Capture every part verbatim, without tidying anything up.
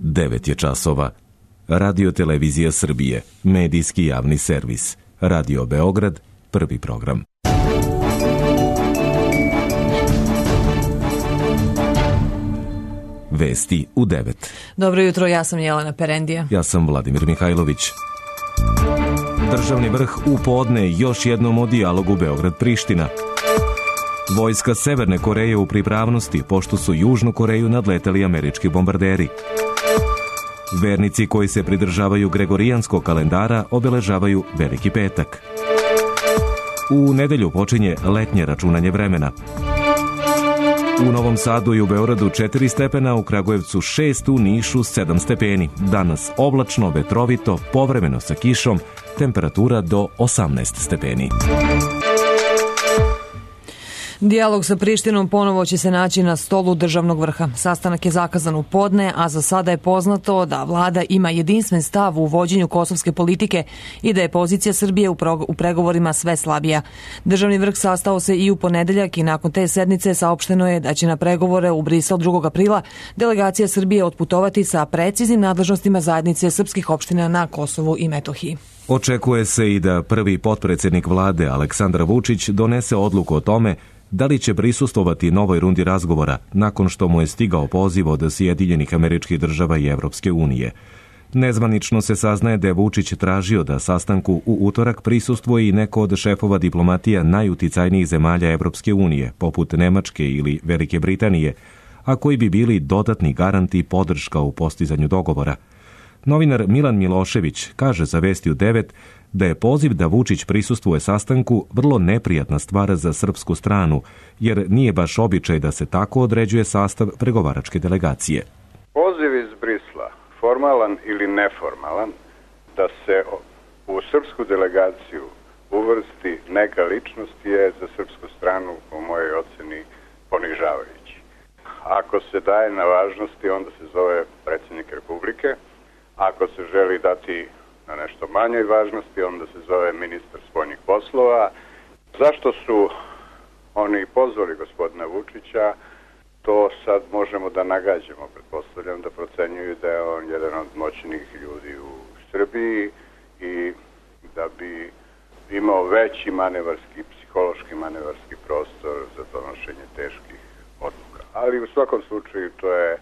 devet je časova. Radio Televizija Srbije, medijski javni servis. Radio Beograd, prvi program. Vesti u devet. Dobro jutro, ja sam Jelena Perendija. Ja sam Vladimir Mihajlović. Državni vrh u podne još jednom o dijalogu Beograd-Priština. Vojska Severne Koreje u pripravnosti, pošto su Južnu Koreju nadleteli američki bombarderi. Vernici koji se pridržavaju gregorijanskog kalendara obeležavaju Veliki petak. U nedelju počinje letnje računanje vremena. U Novom Sadu i u Beogradu četiri stepena, u Kragujevcu šest, u Nišu sedam stepeni. Danas oblačno, vetrovito, povremeno sa kišom, temperatura do osamnaest stepeni. Dijalog sa Prištinom ponovo će se naći na stolu državnog vrha. Sastanak je zakazan u podne, a za sada je poznato da vlada ima jedinstven stav u vođenju kosovske politike i da je pozicija Srbije u, u pregovorima sve slabija. Državni vrh sastao se i u ponedeljak i nakon te sednice saopšteno je da će na pregovore u Brisel drugog aprila delegacija Srbije otputovati sa preciznim nadležnostima zajednice srpskih opština na Kosovu i Metohiji. Očekuje se i da prvi potpredsednik vlade Aleksandar Vučić donese odluku o tome da li će prisustvovati novoj rundi razgovora nakon što mu je stigao poziv od Sjedinjenih Američkih Država i Evropske unije. Nezvanično se saznaje da je Vučić tražio da sastanku u utorak prisustvuje i neko od šefova diplomatija najuticajnijih zemalja Evropske unije, poput Nemačke ili Velike Britanije, a koji bi bili dodatni garanti i podrška u postizanju dogovora. Novinar Milan Milošević kaže za Vesti u devet da je poziv da Vučić prisustvuje sastanku vrlo neprijatna stvar za srpsku stranu, jer nije baš običaj da se tako određuje sastav pregovaračke delegacije. Poziv iz Brisla, formalan ili neformalan, da se u srpsku delegaciju uvrsti neka ličnost je za srpsku stranu, po mojoj oceni, ponižavajući. Ako se daje na važnosti, onda se zove predsjednik Republike. Ako se želi dati na nešto manjoj važnosti, onda se zove ministar spoljnih poslova. Zašto su oni pozvali gospodina Vučića, to sad možemo da nagađamo. Pretpostavljam da procenjuju da je on jedan od moćnih ljudi u Srbiji i da bi imao veći manevarski, psihološki manevarski prostor za donošenje teških odluka. Ali u svakom slučaju to je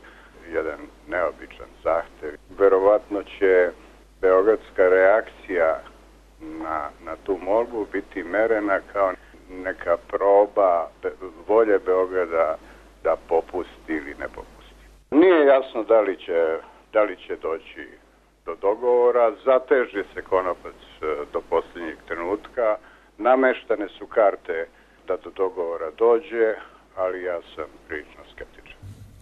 jedan neobičan zahtev. Verovatno će beogradska reakcija na, na tu molbu biti merena kao neka proba volje Beograda da popusti ili ne popusti. Nije jasno da li će, da li će doći do dogovora, zateže se konopac do posljednjeg trenutka, nameštane su karte da do dogovora dođe, ali ja sam prilično skeptičan.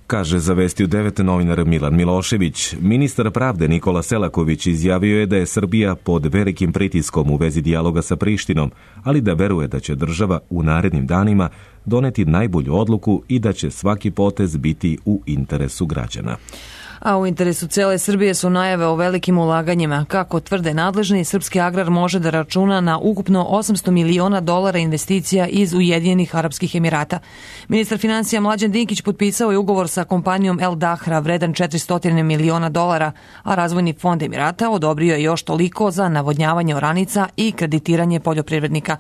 Kaže za Vesti u devet novinar Milan Milošević. Ministar pravde Nikola Selaković izjavio je da je Srbija pod velikim pritiskom u vezi dijaloga sa Prištinom, ali da veruje da će država u narednim danima doneti najbolju odluku i da će svaki potez biti u interesu građana. A u interesu cele Srbije su najave o velikim ulaganjima. Kako tvrde nadležni, srpski agrar može da računa na ukupno osamsto miliona dolara investicija iz Ujedinjenih Arapskih Emirata. Ministar finansija Mlađan Dinkić potpisao je ugovor sa kompanijom El Dahra vredan četiristo miliona dolara, a Razvojni fond Emirata odobrio je još toliko za navodnjavanje oranica i kreditiranje poljoprivrednika.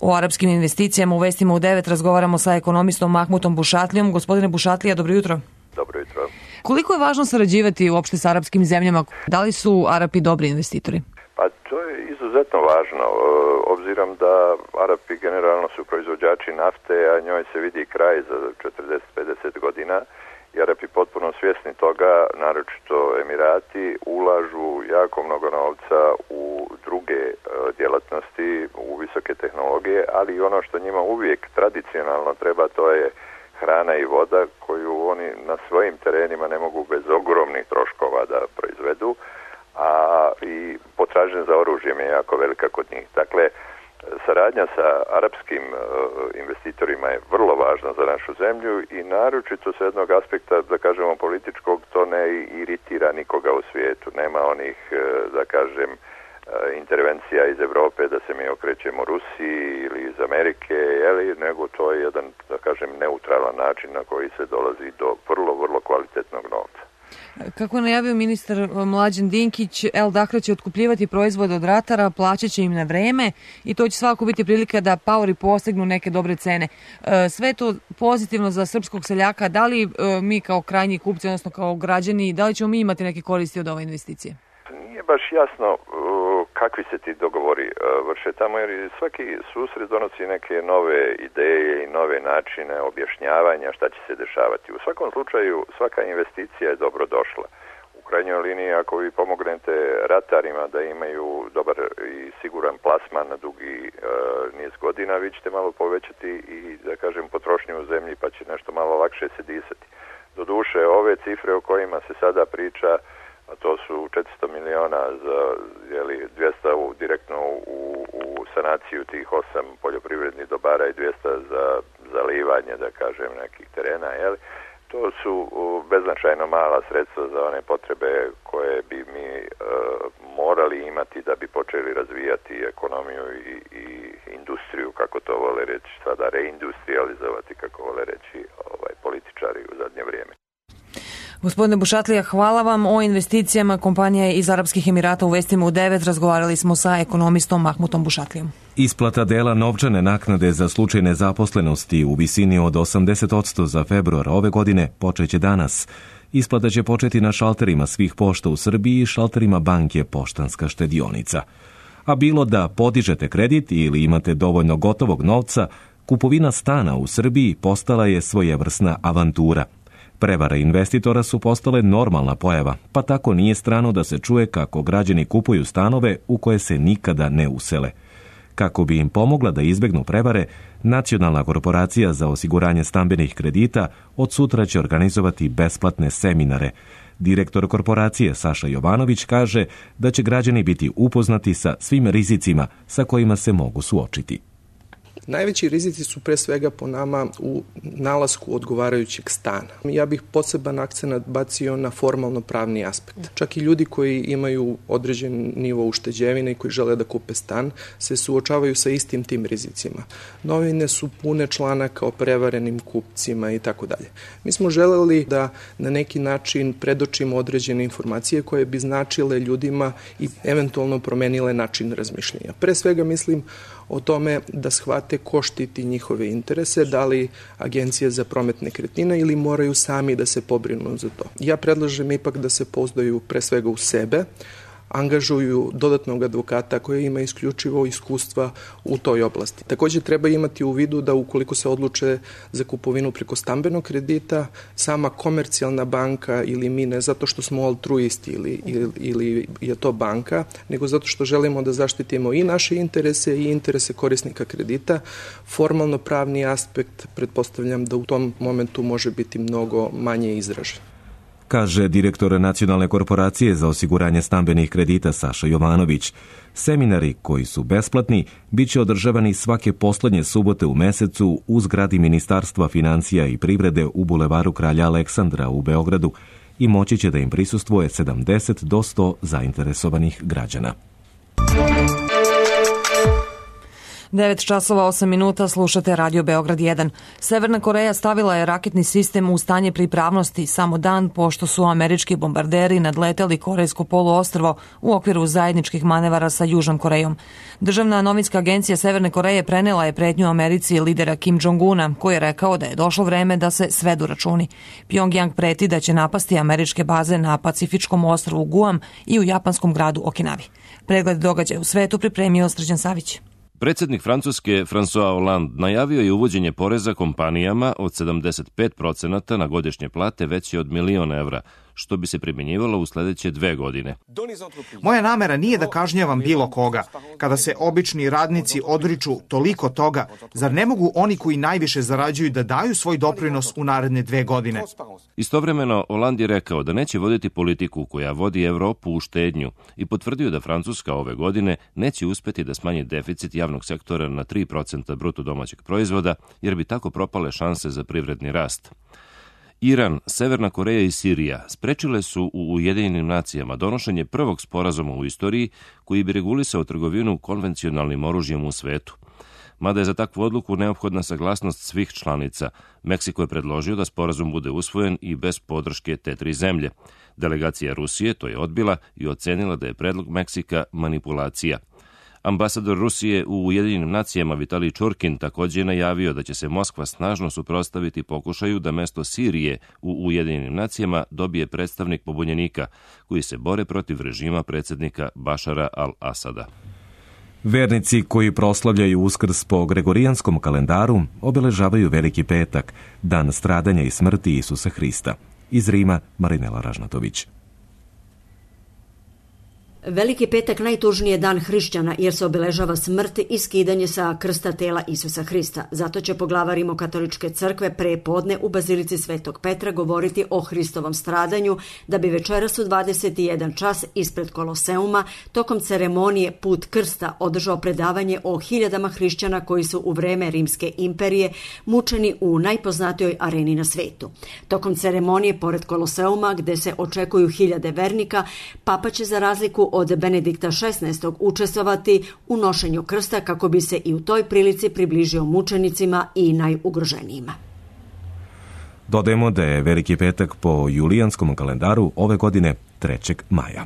O arapskim investicijama u Vestima u devet razgovaramo sa ekonomistom Mahmutom Bušatlijom. Gospodine Bušatlija, dobro jutro. Dobro jutro. Koliko je važno sarađivati uopšte sa arapskim zemljama? Da li su Arapi dobri investitori? Pa to je izuzetno važno, obzirom da Arapi generalno su proizvođači nafte, a njoj se vidi kraj za četrdeset do pedeset godina. I Arapi potpuno svjesni toga, naročito Emirati, ulažu jako mnogo novca u druge djelatnosti, u visoke tehnologije, ali i ono što njima uvijek tradicionalno treba, to je hrana i voda koju oni na svojim terenima ne mogu bez ogromnih troškova da proizvedu, a i potražnja za oružjem je jako velika kod njih. Dakle, saradnja sa arapskim investitorima je vrlo važna za našu zemlju i naročito s jednog aspekta, da kažemo, političkog, to ne iritira nikoga u svijetu. Nema onih, da kažem, intervencija iz Evrope da se mi okrećemo Rusiji ili iz Amerike, jeli, nego to je jedan, da kažem, neutralan način na koji se dolazi do vrlo, vrlo kvalitetnog novca. Kako je najavio ministar Mlađan Dinkić, El Dahra će otkupljivati proizvode od ratara, plaćat će im na vreme i to će svakako biti prilika da paori postignu neke dobre cene. Sve to pozitivno za srpskog seljaka. Da li mi kao krajnji kupci, odnosno kao građani, da li ćemo mi imati neke koristi od ove investicije? Nije baš jasno kakvi se ti dogovori vrše tamo, jer svaki susret donosi neke nove ideje i nove načine objašnjavanja šta će se dešavati. U svakom slučaju svaka investicija je dobro došla. U krajnjoj liniji, ako vi pomognete ratarima da imaju dobar i siguran plasman na dugi e, niz godina, vi ćete malo povećati i, da kažem, potrošnju u zemlji, pa će nešto malo lakše se disati. Doduše, ove cifre o kojima se sada priča, a to su četiristo miliona za jeli, dvjesto u, direktno u, u sanaciju tih osam poljoprivrednih dobara i dvjesto za zalivanje, da kažem, nekih terena, jeli. To su beznačajno mala sredstva za one potrebe koje bi mi e, morali imati da bi počeli razvijati ekonomiju i, i industriju, kako to vole reći, sada reindustrializovati, kako vole reći ovaj, političari u zadnje vrijeme. Gospodine Bušatlija, hvala vam. O investicijama kompanije iz Arapskih Emirata u Vestima u devet razgovarali smo sa ekonomistom Mahmutom Bušatlijom. Isplata dela novčane naknade za slučaj nezaposlenosti u visini od osamdeset posto za februar ove godine počeće danas. Isplata će početi na šalterima svih pošta u Srbiji i šalterima banke Poštanska štedionica. A bilo da podižete kredit ili imate dovoljno gotovog novca, kupovina stana u Srbiji postala je svojevrsna avantura. Prevare investitora su postale normalna pojava, pa tako nije strano da se čuje kako građani kupuju stanove u koje se nikada ne usele. Kako bi im pomogla da izbegnu prevare, Nacionalna korporacija za osiguranje stambenih kredita od sutra će organizovati besplatne seminare. Direktor korporacije Saša Jovanović kaže da će građani biti upoznati sa svim rizicima sa kojima se mogu suočiti. Najveći rizici su pre svega po nama u nalasku odgovarajućeg stana. Ja bih poseban akcenat bacio na formalno pravni aspekt. Čak i ljudi koji imaju određen nivo ušteđevine i koji žele da kupe stan se suočavaju sa istim tim rizicima. Novine su pune članaka o prevarenim kupcima i tako dalje. Mi smo želeli da na neki način predočimo određene informacije koje bi značile ljudima i eventualno promenile način razmišljanja. Pre svega mislim o tome da shvate ko štiti njihove interese, da li Agencija za promet nekretnina ili moraju sami da se pobrinu za to. Ja predlažem ipak da se pouzdaju pre svega u sebe, angažuju dodatnog advokata koji ima isključivo iskustva u toj oblasti. Također treba imati u vidu da ukoliko se odluče za kupovinu preko stambenog kredita, sama komercijalna banka ili mi, ne zato što smo altruisti ili, ili, ili je to banka, nego zato što želimo da zaštitimo i naše interese i interese korisnika kredita. Formalno pravni aspekt pretpostavljam da u tom momentu može biti mnogo manje izražen. Kaže direktor Nacionalne korporacije za osiguranje stambenih kredita Saša Jovanović. Seminari koji su besplatni bit će održavani svake poslednje subote u mesecu u zgradi Ministarstva financija i privrede u bulevaru Kralja Aleksandra u Beogradu i moći će da im prisustvuje sedamdeset do sto zainteresovanih građana. devet časova osam minuta, slušate Radio Beograd jedan. Severna Koreja stavila je raketni sistem u stanje pripravnosti samo dan pošto su američki bombarderi nadleteli Korejsko poluostrvo u okviru zajedničkih manevara sa Južnom Korejom. Državna novinska agencija Severne Koreje prenela je pretnju Americi lidera Kim Jong-una, koji je rekao da je došlo vreme da se svedu računi. Pjongjang preti da će napasti američke baze na Pacifičkom ostrvu Guam i u japanskom gradu Okinavi. Pregled događaja u svetu pripremio Srđan Savić. Predsjednik Francuske François Hollande najavio je uvođenje poreza kompanijama od sedamdeset pet procenata na godišnje plate veće od milion evra, što bi se primjenjivalo u sljedeće dve godine. Moja namera nije da kažnjavam bilo koga. Kada se obični radnici odriču toliko toga, zar ne mogu oni koji najviše zarađuju da daju svoj doprinos u naredne dve godine? Istovremeno, Hollande je rekao da neće voditi politiku koja vodi Evropu u štednju i potvrdio da Francuska ove godine neće uspjeti da smanji deficit javnog sektora na tri procenta bruto domaćeg proizvoda, jer bi tako propale šanse za privredni rast. Iran, Severna Koreja i Sirija sprečile su u Ujedinjenim nacijama donošenje prvog sporazuma u istoriji koji bi regulisao trgovinu konvencionalnim oružjem u svetu. mada je za takvu odluku neophodna saglasnost svih članica. Meksiko je predložio da sporazum bude usvojen i bez podrške te tri zemlje. Delegacija Rusije to je odbila i ocenila da je predlog Meksika manipulacija. Ambasador Rusije u Ujedinjenim nacijama Vitalij Čurkin također je najavio da će se Moskva snažno suprotstaviti pokušaju da mesto Sirije u Ujedinjenim nacijama dobije predstavnik pobunjenika koji se bore protiv režima predsjednika Bašara al-Asada. Vernici koji proslavljaju Uskrs po gregorijanskom kalendaru obeležavaju Veliki petak, dan stradanja i smrti Isusa Hrista. Iz Rima, Marinela Ražnatović. Veliki petak najtužniji je dan hrišćana jer se obeležava smrt i skidanje sa krsta tela Isusa Hrista. Zato će poglavar Rimokatoličke crkve pre podne u Bazilici Svetog Petra govoriti o Hristovom stradanju, da bi večeras u dvadeset jedan čas ispred Koloseuma tokom ceremonije Put krsta održao predavanje o hiljadama hrišćana koji su u vreme Rimske imperije mučeni u najpoznatijoj areni na svetu. Tokom ceremonije pored Koloseuma, gde se očekuju hiljade vernika, Papa će za razliku od Benedikta šesnaestog učestvovati u nošenju krsta kako bi se i u toj prilici približio mučenicima i najugroženijima. Dodajemo da je Veliki petak po julijanskom kalendaru ove godine trećeg maja.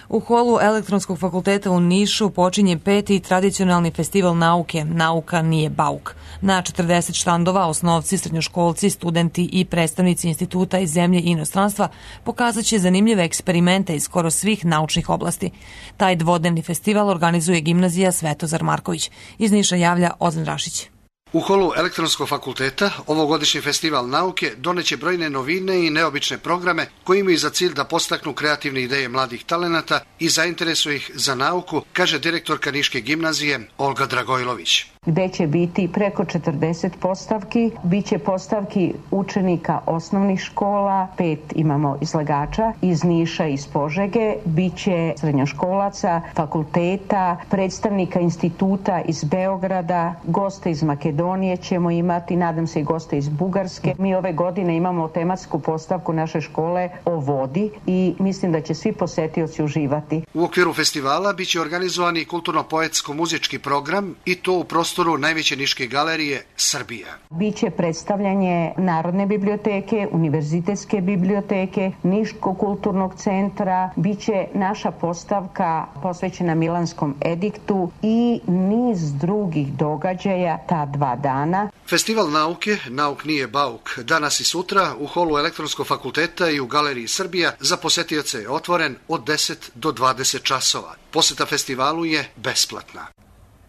U holu Elektronskog fakulteta u Nišu počinje peti tradicionalni festival nauke Nauka nije bauk. Na četrdeset štandova osnovci, srednjoškolci, studenti i predstavnici instituta iz zemlje i inostranstva pokazat će zanimljive eksperimente iz skoro svih naučnih oblasti. Taj dvodnevni festival organizuje gimnazija Svetozar Marković. Iz Niša javlja Ozan Rašić. U holu Elektronskog fakulteta ovogodišnji festival nauke doneće brojne novine i neobične programe koji imaju za cilj da postaknu kreativne ideje mladih talenata i zainteresuju ih za nauku, kaže direktorka Niške gimnazije Olga Dragojlović. Gde će biti preko četrdeset postavki, bit će postavki učenika osnovnih škola, pet imamo izlagača iz Niša i iz Požege, bit će srednjoškolaca, fakulteta, predstavnika instituta iz Beograda, goste iz Makedonije ćemo imati, nadam se i goste iz Bugarske. Mi ove godine imamo tematsku postavku naše škole o vodi i mislim da će svi posetioci uživati. U okviru festivala bit će organizovani kulturno-poetsko-muzički program i to u prostoru najveće Niške galerije Srbija. Biće predstavljanje Narodne biblioteke, Univerzitetske biblioteke, Niškog kulturnog centra, biće naša postavka posvećena Milanskom ediktu i niz drugih događaja ta dva dana. Festival nauke Nauk nije bauk danas i sutra u holu Elektronskog fakulteta i u galeriji Srbija za posetioce je otvoren od deset do dvadeset časova. Poseta festivalu je besplatna.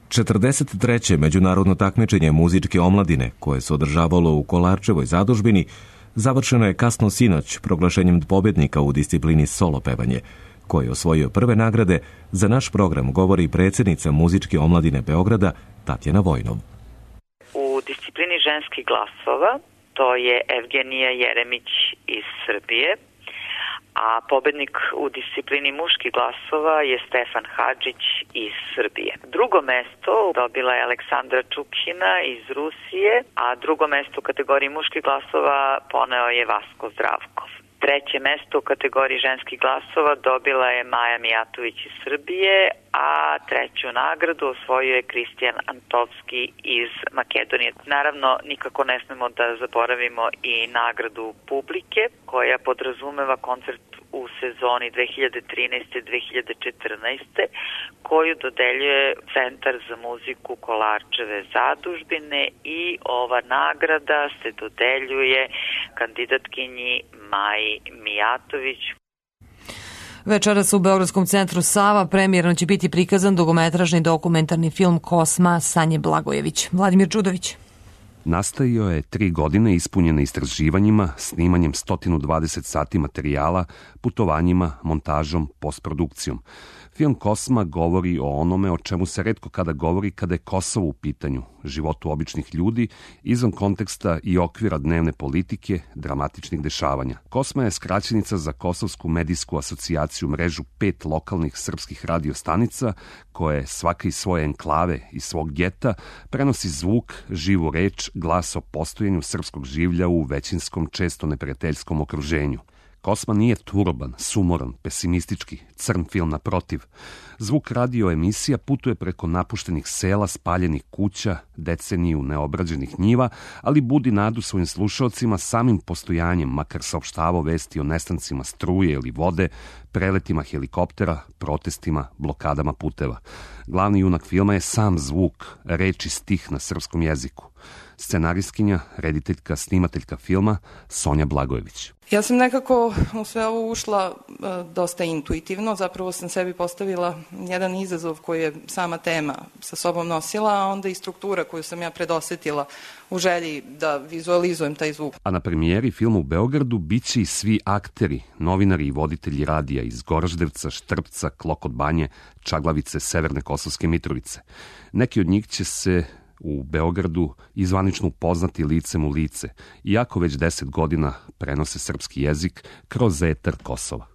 četrdeset treće međunarodno takmičenje muzičke omladine, koje se održavalo u Kolarčevoj zadužbini, završeno je kasno sinoć proglašenjem pobjednika u disciplini solo pevanje, koji je osvojio prve nagrade. Za naš program govori predsjednica muzičke omladine Beograda Tatjana Vojnov. U disciplini ženskih glasova to je Evgenija Jeremić iz Srbije, a pobednik u disciplini muških glasova je Stefan Hadžić iz Srbije. Drugo mesto dobila je Aleksandra Čukhina iz Rusije, a drugo mesto u kategoriji muških glasova poneo je Vasko Zdravkov. Treće mesto u kategoriji ženskih glasova dobila je Maja Mijatović iz Srbije, a treću nagradu osvojio je Kristijan Antovski iz Makedonije. Naravno, nikako ne smemo da zaboravimo i nagradu publike, koja podrazumeva koncert u sezoni dve hiljade trinaeste do dve hiljade četrnaeste. koju dodeljuje Centar za muziku Kolarčeve zadužbine i ova nagrada se dodeljuje kandidatkinji Maji Mijatović. Večeras u Beogradskom centru Sava premijerno će biti prikazan dugometražni dokumentarni film Kosma Sanje Blagojević. Vladimir Čudović. Nastajao je tri godine ispunjene istraživanjima, snimanjem sto dvadeset sati materijala, putovanjima, montažom, postprodukcijom. Film Kosma govori o onome o čemu se retko kada govori kada je Kosovo u pitanju, životu običnih ljudi, izvan konteksta i okvira dnevne politike, dramatičnih dešavanja. Kosma je skraćenica za Kosovsku medijsku asocijaciju, mrežu pet lokalnih srpskih radiostanica, koje svaka iz svoje enklave i svog geta prenosi zvuk, živu reč, glas o postojanju srpskog življa u većinskom, često neprijateljskom okruženju. Kosma nije turban, sumoran, pesimistički, crn film naprotiv. Zvuk radio emisija putuje preko napuštenih sela, spaljenih kuća, deceniju neobrađenih njiva, ali budi nadu svojim slušalcima samim postojanjem, makar saopštavao vesti o nestancima struje ili vode, preletima helikoptera, protestima, blokadama puteva. Glavni junak filma je sam zvuk, reč i stih na srpskom jeziku. Scenaristkinja, rediteljka, snimateljka filma Sonja Blagojević. Ja sam nekako u sve ovo ušla e, dosta intuitivno, zapravo sam sebi postavila jedan izazov koji je sama tema sa sobom nosila, a onda i struktura koju sam ja predosetila u želji da vizualizujem taj zvuk. A na premijeri filma u Beogradu biće i svi akteri, novinari i voditelji radija iz Goraždevca, Štrpca, Klokot Banje, Čaglavice, Severne Kosovske Mitrovice. Neki od njih će se u Beogradu izvanično upoznati licem u lice, iako već deset godina prenose srpski jezik kroz etar Kosova.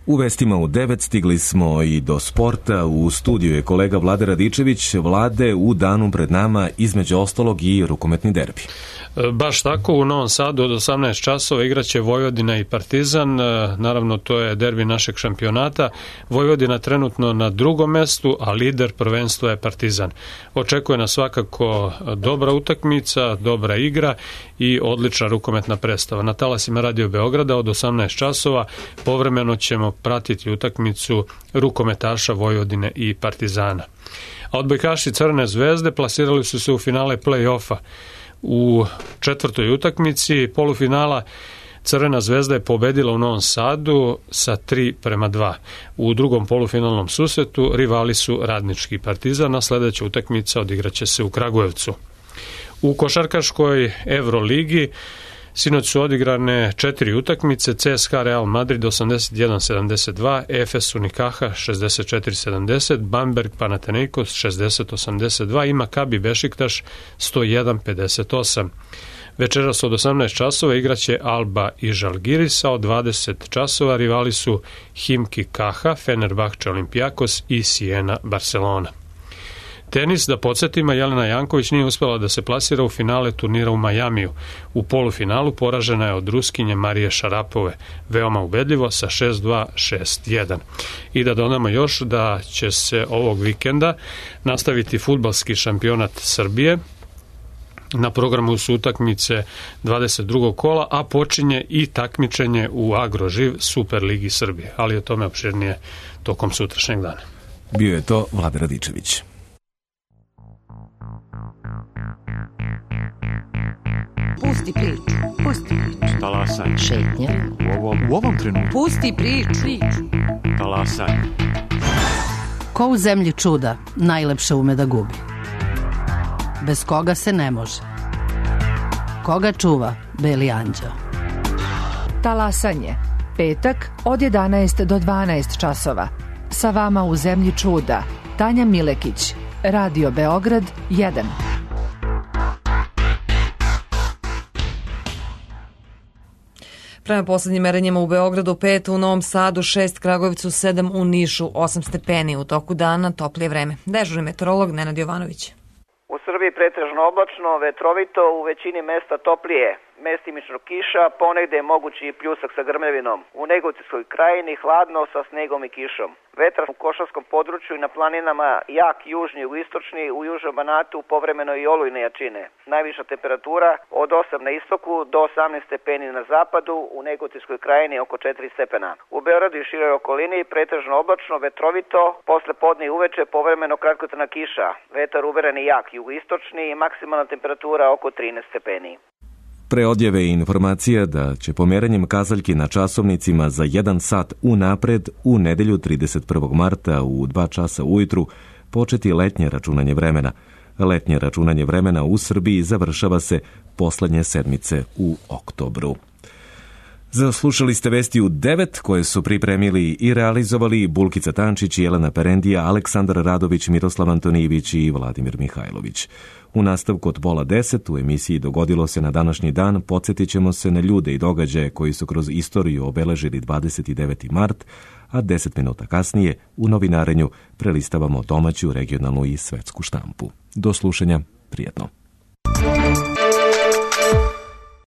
U vestima u devet stigli smo i do sporta. U studiju je kolega Vlade Radičević. Vlade, u danu pred nama između ostalog i rukometni derbi. Baš tako, u Novom Sadu od osamnaest časova igraće Vojvodina i Partizan. Naravno, to je derbi našeg šampionata. Vojvodina trenutno na drugom mestu, a lider prvenstva je Partizan. Očekuje nas svakako dobra utakmica, dobra igra i odlična rukometna predstava. Na talasima Radio Beograda od osamnaest časova povremeno ćemo pratiti utakmicu rukometaša Vojvodine i Partizana. A odbojkaši Crvene zvezde plasirali su se u finale play-offa. U četvrtoj utakmici polufinala Crvena zvezda je pobedila u Novom Sadu sa tri prema dva. U drugom polufinalnom susretu rivali su Radnički Partizan, a sledeća utakmica odigraće se u Kragujevcu. U košarkaškoj Evroligi sinoć su odigrane četiri utakmice: C S K A Real Madrid osamdeset jedan sedamdeset dva, Efes Unikaha šezdeset četiri sedamdeset, Bamberg Panathinaikos šezdeset osamdeset dva i Makabi Bešiktaš sto jedan pedeset osam. Večeras od osamnaest časova igraće Alba i Žalgiris, a od dvadeset časova rivali su Himki Kaha, Fenerbahče Olimpijakos i Siena Barcelona. Tenis, da podsjetimo, Jelena Janković nije uspela da se plasira u finale turnira u Majamiju. U polufinalu poražena je od Ruskinje Marije Šarapove, veoma ubedljivo sa šest dva, šest jedan. I da dodamo još da će se ovog vikenda nastaviti fudbalski šampionat Srbije. Na programu su utakmice dvadeset drugog kola, a počinje i takmičenje u Agroživ Superligi Srbije, ali o tome opširnije tokom sutrašnjeg dana. Bio je to Vlada Radičević. Pusti priču, pusti priču. Talasaj. Šetnja. U ovom, u ovom trenutku. Pusti priču. priču. Talasaj. Ko u zemlji čuda najlepše ume da gubi. Bez koga se ne može. Koga čuva Beli anđeo? Talasanje. Petak od jedanaest do dvanaest časova. Sa vama u zemlji čuda Tanja Milekić, Radio Beograd jedan. Prema poslednjim merenjima u Beogradu pet, u Novom Sadu šest, Kragujevcu sedam, u Nišu osam stepeni. U toku dana toplije vreme. Dežurni meteorolog Nenad Jovanović. U Srbiji pretežno oblačno, vetrovito, u većini mesta toplije. Mestimično kiša, ponegde je mogući i pljusak sa grmljavinom. U Negotinskoj krajini hladno sa snegom i kišom. Vetar u Košarskom području i na planinama jak južni i istočni, u južnom Banatu povremeno i olujne jačine. Najviša temperatura od osam na istoku do osamnaest stepeni na zapadu, u Negotinskoj krajini oko četiri stepena. U Beogradu i široj okolini pretežno oblačno, vetrovito, posle podne i uveče povremeno kratkotrajna kiša. Vetar umeren i jak jugoistočni i maksimalna temperatura oko trinaest stepeni. Pre odjave i informacija da će pomeranjem kazaljki na časovnicima za jedan sat unapred u nedelju trideset prvog marta u dva časa ujutru početi letnje računanje vremena. Letnje računanje vremena u Srbiji završava se poslednje sedmice u oktobru. Zaslušali ste vesti u devet koje su pripremili i realizovali Bulkica Tančić, Jelena Perendija, Aleksandar Radović, Miroslav Antonijević i Vladimir Mihajlović. U nastavku od pola deset u emisiji Dogodilo se na današnji dan podsjetit ćemo se na ljude i događaje koji su kroz istoriju obeležili dvadeset deveti mart, a deset minuta kasnije u novinarenju prelistavamo domaću, regionalnu i svetsku štampu. Do slušanja, prijatno.